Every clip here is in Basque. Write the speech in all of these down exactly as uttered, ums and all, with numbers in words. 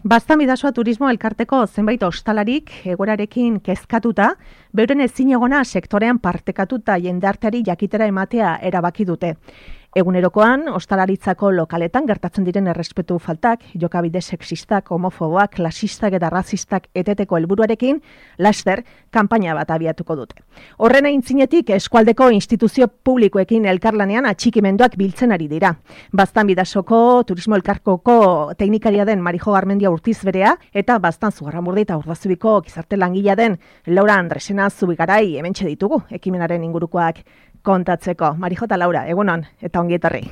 Baztan Bidasoa Turismo Elkarteko zenbait ostalarik egoerarekin kezkatuta, beuren ezinegona sektorean partekatuta jendarteari jakitera ematea erabaki dute. Egunerokoan, ostalaritzako lokaletan gertatzen diren errespetu faltak, jokabide sexistak, homofoboak, klasistak eta razistak eteteko helburuarekin, laster, kanpaina bat abiatuko dute. Horren aintzinetik, eskualdeko instituzio publikoekin elkarlanean atxikimenduak biltzen ari dira. Baztan Bidasoko Turismo Elkarkoko teknikaria den Marijo Garmendia Urtiz berea, eta Baztan Zugarramurdi eta Urdazubiko gizarte langilea den Laura Andresena Zubigarai hementxe ditugu, ekimenaren ingurukoak kontatzeko. Marijo eta Laura, egunon, eta ongi etorri.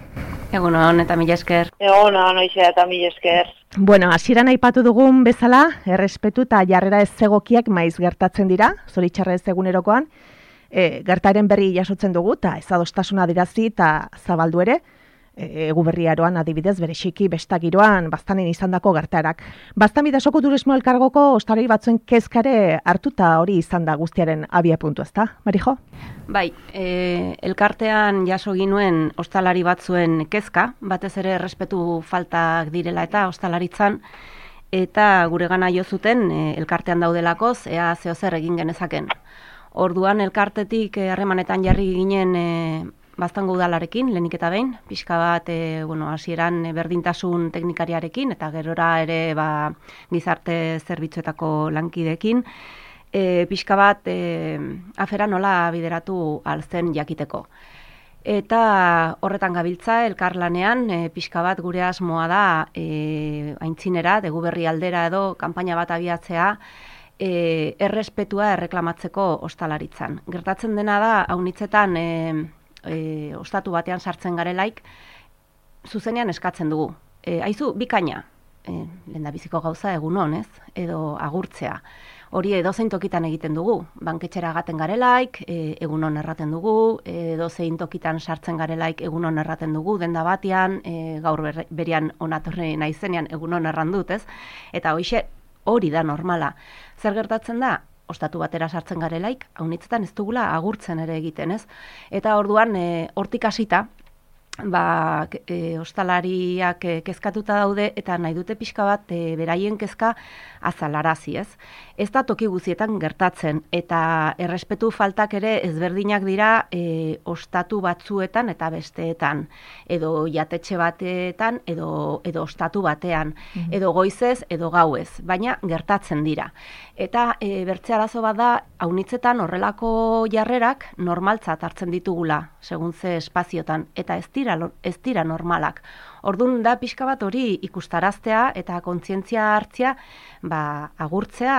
Egunon, eta mila esker. Egunon, oixe, eta mila esker. Bueno, hasieran aipatu dugun bezala, errespetu eta jarrera ez egokiak maiz gertatzen dira, zoritxarrez egunerokoan, e, gertaren berri jasotzen dugu, eta ez adostasuna adirazi eta zabaldu ere, egu berriaroan adibidez berexiki bestagiroan Baztanen izandako gertarak. Baztan Bidasoko Turismo Elkargoko ostalari batzuen kezkare hartuta hori izan da guztiaren abia puntu, ezta, Marijo? Bai, e, elkartean jaso ginuen ostalari batzuen kezka, batez ere errespetu faltak direla eta ostalaritzan, eta guregana jo zuten e, elkartean daudelakoz, ea zeozer egin genezaken. Orduan elkartetik harremanetan jarri ginen e, Baztango udalarekin, lehenik eta behin, pixka bat, e, bueno, hasieran berdintasun teknikariarekin, eta gerora ere ba, gizarte zerbitzuetako lankidekin, e, pixka bat e, afera nola bideratu alzen jakiteko. Eta horretan gabiltza, elkarlanean, e, pixka bat gure asmoa da, e, aintzinera, degu berri aldera edo, kanpaina bat abiatzea, e, errespetua erreklamatzeko ostalaritzan. Gertatzen dena da, haunitzetan, e, E, ostatu batean sartzen garelaik, zuzenean eskatzen dugu. E, aizu, bikaina, e, lehendabiziko gauza egunon, ez? Edo agurtzea. Hori edozein tokitan egiten dugu. Banketxera gaten garelaik, e, egunon erraten dugu, edozein tokitan sartzen garelaik egunon erraten dugu, denda batean, e, gaur ber, berian onatorre naizenean egunon erran dut, ez? Eta hoixe, hori da normala. Zer gertatzen da? Ostatu batera sartzen garelaik, haunitzetan ez dugula agurtzen ere egiten, ez? Eta orduan, e, hortik hasita, ba, e, ostalariak e, kezkatuta daude, eta nahi dute pixka bat e, beraien kezka azalarazi, ez? Ez da toki guzietan gertatzen, eta errespetu faltak ere ezberdinak dira e, ostatu batzuetan eta besteetan, edo jatetxe batetan, edo, edo ostatu batean, mm-hmm. edo goizez, edo gauez, baina gertatzen dira. Eta e, bertze arazo bat da, haunitzetan horrelako jarrerak normaltzat hartzen ditugula, segun ze espaziotan, eta ez dira, ez dira normalak. Orduan da pixka bat hori ikustaraztea eta kontzientzia hartzea, ba, agurtzea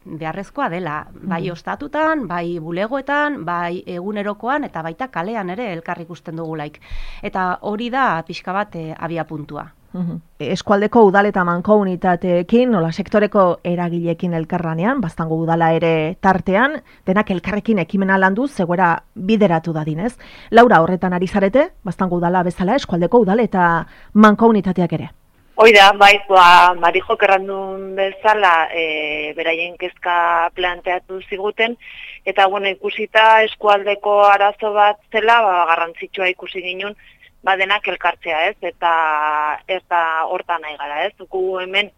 beharrezkoa dela, bai ostatutan, bai bulegoetan, bai egunerokoan, eta baita kalean ere elkar ikusten dugulaik. Eta hori da pixka bat e, abia puntua. Uhum. Eskualdeko udal eta mankomunitateekin, nola sektoreko eragileekin elkarlanean, Baztango udala ere tartean, denak elkarrekin ekimena landu zegoera bideratu dadinez. Laura, horretan ari zarete, Baztango udala bezala, eskualdeko udal eta mankomunitateak ere? Oida, bai, ba, Marijo kerrandun bezala e, beraien kezka planteatu ziguten, eta bueno, ikusita eskualdeko arazo bat zela, ba, garrantzitsua ikusi ginen, ba denak elkartzea, ez? Eta ez da hortan nahi gara, ez? Gu hemen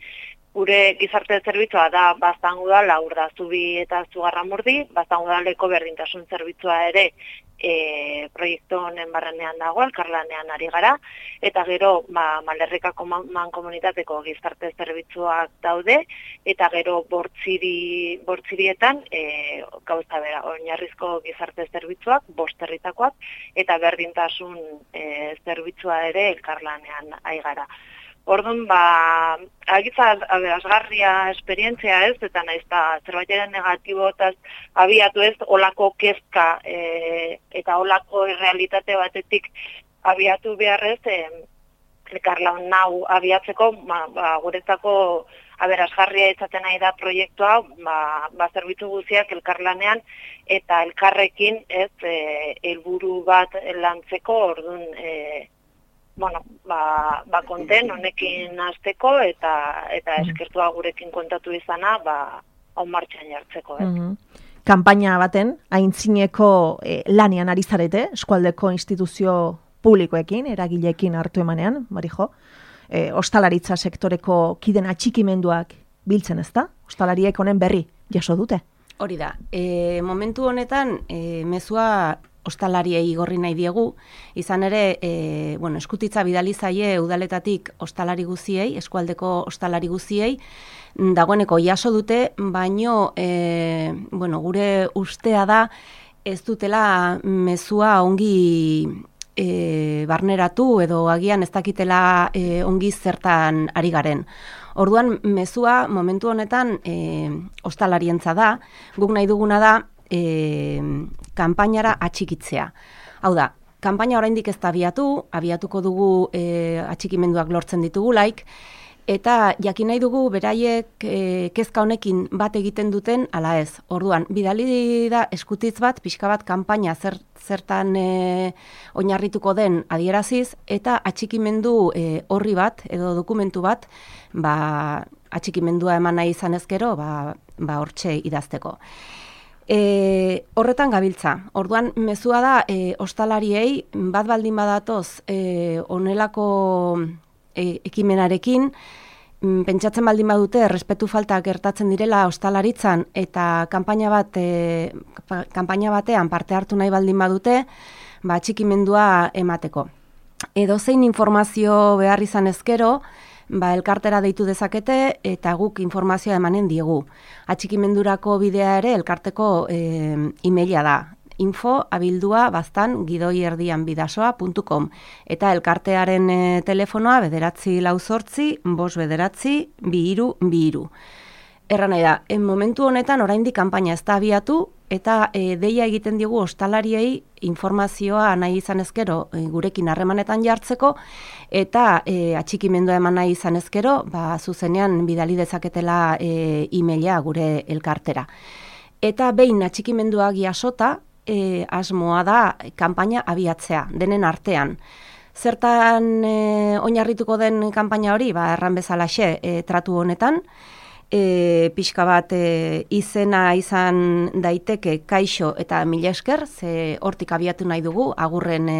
gure gizarte zerbitzua da Baztango udala, Urdazubi eta Zugarramurdi, Baztango udaleko berdintasun zerbitzua ere e, proiektu honen barrenean dago, elkarlanean ari gara, eta gero ba, Malerrikako mankomunitateko gizarte zerbitzuak daude, eta gero bortziri, bortzirietan e, gauza bera, oinarrizko gizarte zerbitzuak, bost herritakoak, eta berdintasun e, zerbitzua ere elkarlanean ari gara. Orduan, ba, agitza aberasgarria esperientzia ez, eta naiz da zerbaitaren negatibotaz abiatu ez, olako kezka e, eta olako realitate batetik abiatu beharrez, e, elkarlan nau abiatzeko, ba, ba, guretzako aberasgarria izaten nahi da proiektua, ba, ba zerbitzu guztiak elkarlanean eta elkarrekin ez e, helburu bat lantzeko, orduan, e, bueno, ba, ba konten honekin hasteko eta eta eskertua gurekin kontatu izana, ba hau martxan jartzeko, eh. Mm-hmm. Kanpaina baten aintzineko eh, lanean ari zarete, eskualdeko instituzio publikoekin, eragileekin hartu emanean, Marijo. e, ostalaritza sektoreko kiden atxikimenduak biltzen, ez da? Ostalariek honen berri jaso dute? Hori da, e, momentu honetan e, mezua ostalariei igorri nahi diegu, izan ere, e, bueno, eskutitza bidali zaie udaletatik ostalari guziei, eskualdeko ostalari guziei, dagoeneko jaso dute, baino, e, bueno, gure ustea da, ez dutela mezua ongi e, barneratu edo agian ez dakitela e, ongi zertan ari garen. Orduan, mezua momentu honetan e, ostalarientza da, guk nahi duguna da, E, kanpainara atxikitzea. Hau da, kanpaina oraindik ez da abiatu, abiatuko dugu e, atxikimenduak lortzen ditugulaik, eta jakin nahi dugu beraiek e, kezka honekin bat egiten duten ala ez. Orduan, bidali da eskutitz bat, pixka bat kanpaina zer, zertan e, oinarrituko den adieraziz, eta atxikimendu e, horri bat, edo dokumentu bat, ba, atxikimendua eman nahi izan ezkero, ba, ba hortxe idazteko. E, horretan gabiltza. Orduan, mezua da, e, ostalariei, bat baldin badatoz, e, onelako e, ekimenarekin, m, pentsatzen baldin badute, errespetu falta gertatzen direla ostalaritzan, eta kanpaina bat, e, kanpaina batean parte hartu nahi baldin badute, ba, atxikimendua emateko. Edozein informazio behar izan ezkero, ba, elkartera deitu dezakete eta guk informazioa emanen diegu. Atxikimendurako bidea ere elkarteko e, emaila da. info abildua baztan gidoi erdian bidasoa puntu com eta elkartearen e, telefonoa bederatzi lau zortzi, bost bederatzi, bi hiru, bi hiru. Erra nahi da, en momentu honetan oraindik kanpaina ez da abiatu eta e, deia egiten digu ostalariei informazioa nahi izan ezkero e, gurekin harremanetan jartzeko eta e, atxikimendua eman nahi izan ezkero, ba, zuzenean bidali dezaketela e, emaila gure elkartera. Eta behin atxikimenduak jasota, e, asmoa da kanpaina abiatzea, denen artean. Zertan e, oinarrituko den kanpaina hori, ba, erran bezalaxe e, tratu honetan, E, pixka bat e, izena izan daiteke kaixo eta mila esker, ze hortik abiatu nahi dugu, agurren e,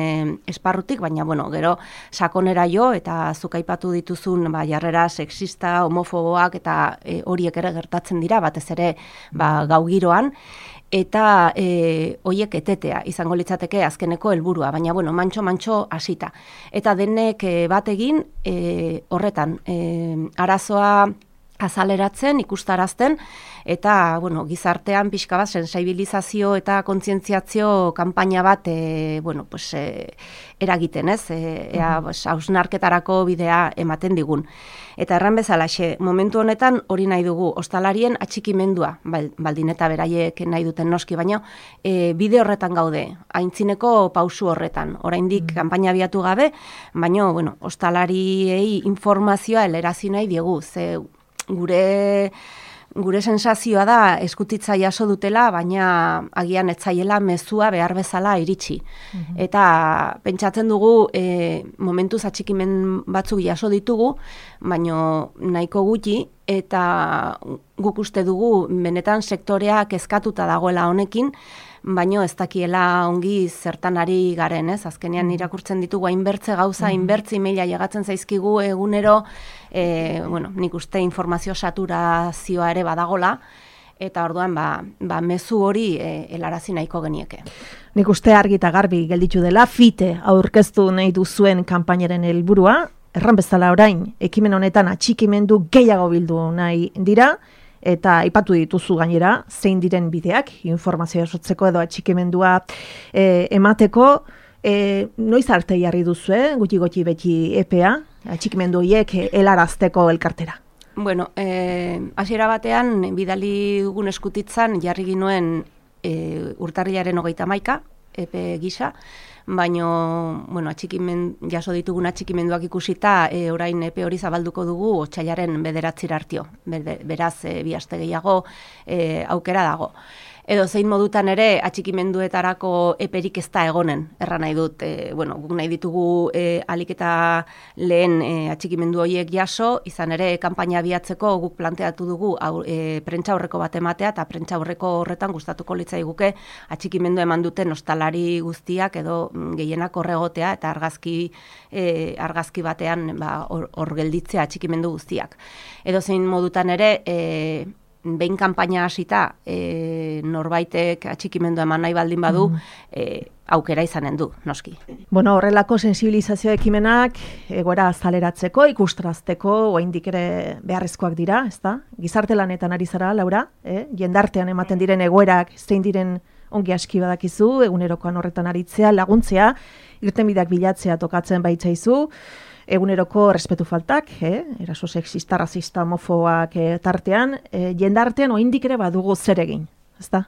esparrutik, baina bueno, gero sakonera jo eta zuk aipatu dituzun ba, jarrera sexista, homofoboak eta e, horiek ere gertatzen dira, batez ere ba, gau giroan, eta e, hoiek etetea izango litzateke azkeneko helburua, baina bueno, mantxo-mantxo hasita. Eta denek e, bat egin e, horretan, e, arazoa azaleratzen, ikustarazten, eta bueno, gizartean pixka bat sensibilizazio eta kontzientziazio kanpaina bat e, bueno, pues, e, eragiten, ez? E, ea, pues, hausnarketarako bidea ematen digun. Eta erran bezalaxe, momentu honetan hori nahi dugu, ostalarien atxikimendua, baldin eta beraiek nahi duten noski, baina e, bide horretan gaude, aintzineko pausu horretan, oraindik mm. kanpaina abiatu gabe, baina bueno, ostalariei informazioa helerazi nahi diegu, ze gure gure sensazioa da eskutitza jaso dutela, baina agian etzaiela mezua behar bezala iritsi. Mm-hmm. Eta pentsatzen dugu e, momentuz atxikimen batzuk jaso ditugu, baina nahiko gutxi, eta guk uste dugu benetan sektorea kezkatuta dagoela honekin, baino ez dakiela ongi zertan ari garen, ez? Azkenean irakurtzen ditugu hainbertze gauza, hainbertze emaila llegatzen zaizkigu egunero, e, bueno, nik uste informazio saturazioa ere badagola, eta orduan ba, ba mezu hori e, helarazi nahiko genieke. Nik uste argi eta garbi gelditu dela, fite aurkeztu nahi duzuen kanpainaren helburua, erran bezala orain, ekimen honetan atxikimendu gehiago bildu nahi dira, eta aipatu dituzu gainera, zein diren bideak, informazioa sortzeko edo atxikimendua e, emateko, e, noiz arte jarri duzu, eh? guti-guti beti epea, atxikimendu horiek helarazteko elkartera? Bueno, eh, hasiera batean, bidali dugun eskutitzan, jarri ginuen e, urtarrilaren hogeita hamaika, epe gisa, baino, bueno, atxikimen, jaso ditugun atxikimenduak ikusita, e, orain epe hori zabalduko dugu otsailaren bederatzira artio. Beraz, e, bi aste gehiago e, aukera dago. Edo zein modutan ere atxikimenduetarako eperik ez da egonen, erra nahi dut, e, bueno, guk nahi ditugu e, alik eta lehen e, atxikimendu horiek jaso, izan ere kanpaina abiatzeko guk planteatu dugu au, e, prentsa aurreko bat ematea, eta prentsa aurreko horretan gustatuko litzai guke atxikimendu eman duten ostalari guztiak edo gehienak horregotea eta argazki, e, argazki batean ba, hor, hor gelditzea atxikimendu guztiak. Edo zein modutan ere, e, behin kanpaina hasita e, norbaitek atxikimendua eman nahi baldin badu, mm. e, aukera izanen du, noski. Bueno, horrelako sensibilizazio ekimenak egoera azaleratzeko, ikustrazteko, oraindik ere beharrezkoak dira, ezta? Gizarte lanetan ari zara, Laura, eh? Jendartean ematen diren egoerak zein diren ongi aski badakizu, egunerokoan horretan aritzea, laguntzea, irtenbideak bilatzea tokatzen baitzaizu, eguneroko respetu faltak, eh? Eraso sexista, rasista, homofoak eh, tartean, eh, jendartean oraindik ere badugu zer egin, ezta?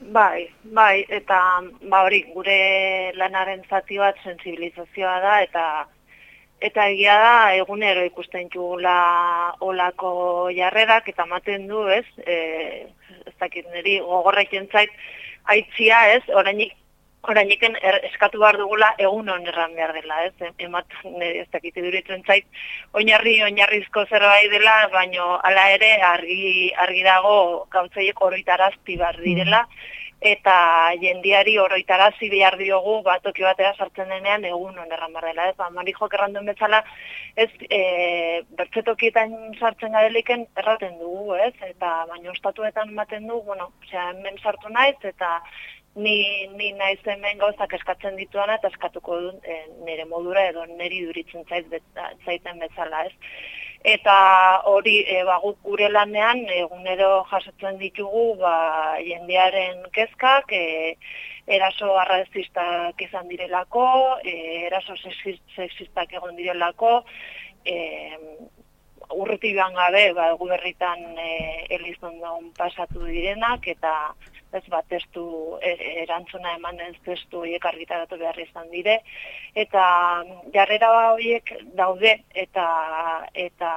Bai, bai, eta ba hori, gure lanaren zati bat sensibilizazioa da, eta eta egia da, egunero ikusten jugula olako jarrerak, eta ematen du, ez, e, ez dakit niri gogorrekin zait, aitzia, ez, orainik, orainiken er, eskatu behar dugula egun onerran behar dela, ez, ematen niri ez dakit iduritzen zait, oinarri, oinarrizko zerbait dela, baino hala ere argi, argi dago gauzaiek oroitarazti behar direla, eta jendiari oroitarazi behar diogu batoki batera sartzen denean egun onerran behar dela. Ez, ba, Marijok erranduen bezala, ez, e, bertzetokietan sartzen gadeliken erraten dugu, ez, eta baina ostatuetan ematen du, bueno, osea, hemen sartu naiz, eta ni, ni naiz hemen gauzak eskatzen dituana, eta eskatuko dut e, nire modura edo niri duritzen zait, zaiten bezala, ez. Eta hori e, ba, gure lanean egunero jasotzen ditugu ba, jendearen kezkak, e, eraso arrazistak izan direlako, e, eraso sexistak egon direlako, e, urruti joan gabe ba, guberritan e, Elizondon pasatu direnak, eta ez bat testu e, erantzuna eman ez testu horiek argitaratu behar izan dire, eta jarrera horiek daude, eta eta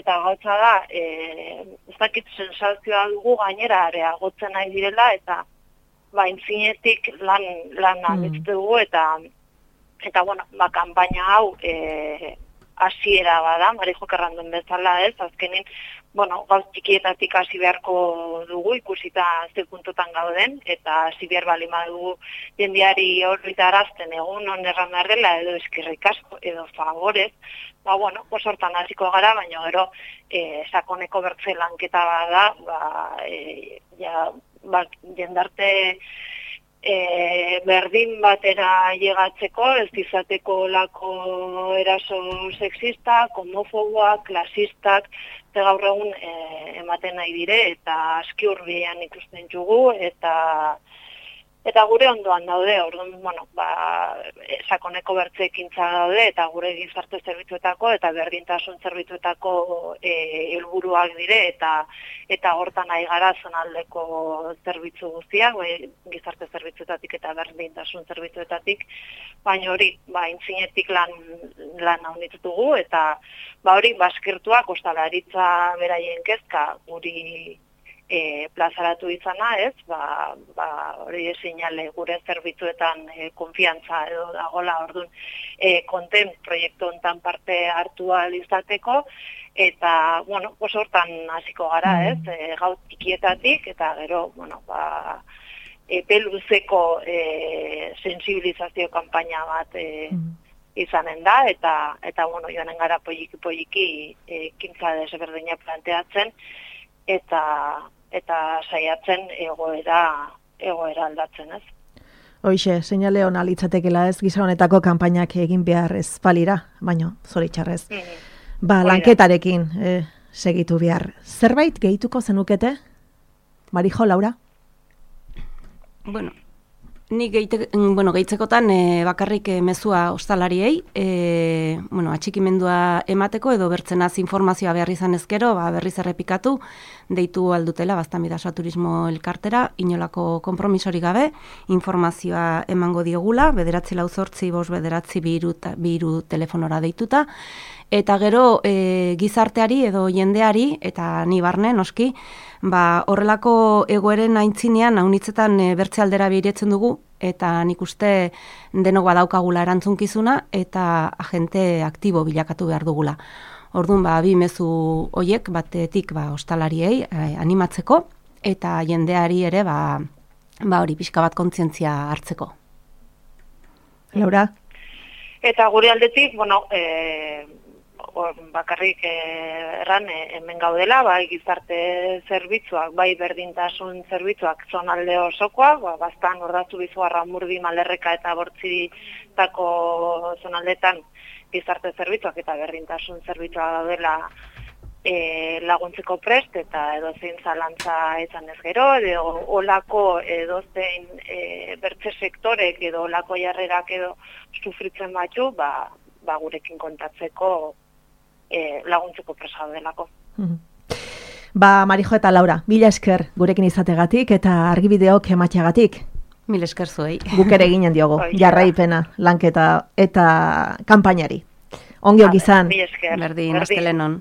eta gauza da, e, ez dakit sensazioa dugu gainera areagotzen nahi direla, eta ba, intzinetik lan, lan mm. dugu, eta eta bueno, ba, kanpaina hau e, hasiera bada, Marijok erranduen bezala, ez, azkenin, bueno, gauz txikietatik hasi beharko dugu, ikusita ze puntutan gauden, eta hasi behar balin badugu jendiari horritarazten egun onerran behar dela, edo eskerrik asko, edo favorez, ba, bueno, hortan hasiko gara, baina gero, e, sakoneko bertze lanketa bada, ba, e, ja, ba, jendarte E, berdin batera llegatzeko, ez izateko lako eraso sexistak, homofoboak, klasistak, eta gaur egun e, ematen nahi dire, eta aski hurbilean ikusten dugu, eta eta gure ondoan daude, orduan, bueno, ba, sakoneko bertze ekintza daude, eta gure gizarte zerbitzuetako, eta berdintasun zerbitzuetako e, helburuak dire, eta eta hortan nahi gara zonaldeko zerbitzu guztiak, bai, gizarte zerbitzuetatik eta berdintasun zerbitzuetatik, baina hori, ba, intzinetik lan, lan haunitu dugu, eta ba, hori, baskirtuak, ostalaritza beraien kezka, guri E, plazaratu izana, ez, ba, ba, hori seinale gure zerbitzuetan e, konfiantza edo dagola, orduan, e, konten proiektu hontan parte hartu ahal izateko, eta, bueno, oso hortan hasiko gara, ez, e, gauz txikietatik, eta gero, bueno, ba, epe luzeko e, sensibilizazio kanpaina bat e, izanen da, eta, eta bueno, joanen gara poliki-poliki ekintza desberdina planteatzen, eta eta saiatzen egoera egoera aldatzen, ez. Hoixe, seinale ona litzatekeela, ez, gisa honetako kanpainak egin behar ez balira, baino zoritxarrez. Mm. Ba, lanketarekin eh, segitu behar. Zerbait gehituko zenukete? Marijo, Laura? Bueno, ni geite, bueno, gehitzekotan e, bakarrik e, mezua ostalariei, e, bueno, atxikimendua emateko edo bertzenaz informazioa behar izan ezkero, ba, berriz errepikatu, deitu aldutela Baztanbidasa Turismo elkartera, inolako konpromisori gabe, informazioa emango diogula, bederatzi lau zortzi, bost bederatzi biru, biru telefonora deituta, eta gero e, gizarteari edo jendeari, eta ni barne, noski, ba, horrelako egoeren aintzinean, haunitzetan e, bertze aldera behiretzen dugu, eta nik uste denok badaukagula erantzunkizuna, eta agente aktibo bilakatu behar dugula. Orduan, ba, bi mezu hoiek batetik ba, ostalariei eh, animatzeko, eta jendeari ere ba, ba hori pixka bat kontzientzia hartzeko. Laura? Eta gure aldetik, bueno, e, or, bakarrik e, erran e, hemen gaudela, bai gizarte zerbitzuak, bai berdintasun zerbitzuak zonalde osokoak, ba, bastan Ordaz Zubizuarra, Murdi, Malerreka eta Bortzitako zonaldetan gizarte zerbitzuak eta berdintasun zerbitzuak daudela e, laguntzeko prest eta edozein zalantza izan ez gero, edo olako edozein e, bertze sektorek edo olako jarrerak edo sufritzen batzu, ba, ba gurekin kontatzeko e, laguntzeko presa delako. Mm-hmm. Ba, Marijo eta Laura, mila esker gurekin izategatik eta argibideok emateagatik. Mil esker zuei. Guk ere ginen diogo, jarraipena, lanketa eta kanpainari. Ongi izan. Mila esker. Berdin, astelenon.